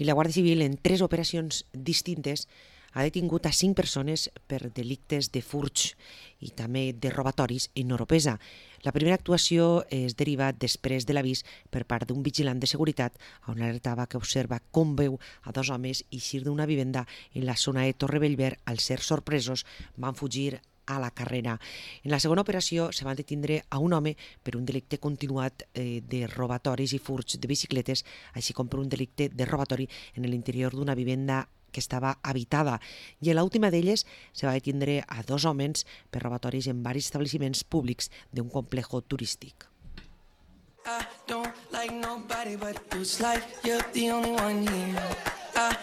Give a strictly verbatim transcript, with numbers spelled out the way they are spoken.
I la Guàrdia Civil, en tres operacions distintes, ha detingut a cinc persones per delictes de furts i també de robatoris en Oropesa. La primera actuació és derivat després de l'avís per part d'un vigilant de seguretat on alertava que observa com veu a dos homes eixir d'una vivenda en la zona de Torrebellver. Al ser sorpresos van fugir a la carrera. En la segona operació se van detindre a un home per un delicte continuat eh, de robatoris i furts de bicicletes, així com per un delicte de robatori en l'interior d'una vivenda que estava habitada. I en l'última d'elles se va detindre a dos homes per robatoris en diversos establiments públics d'un complejo turístic. I don't like nobody but it's like you're the only one here. I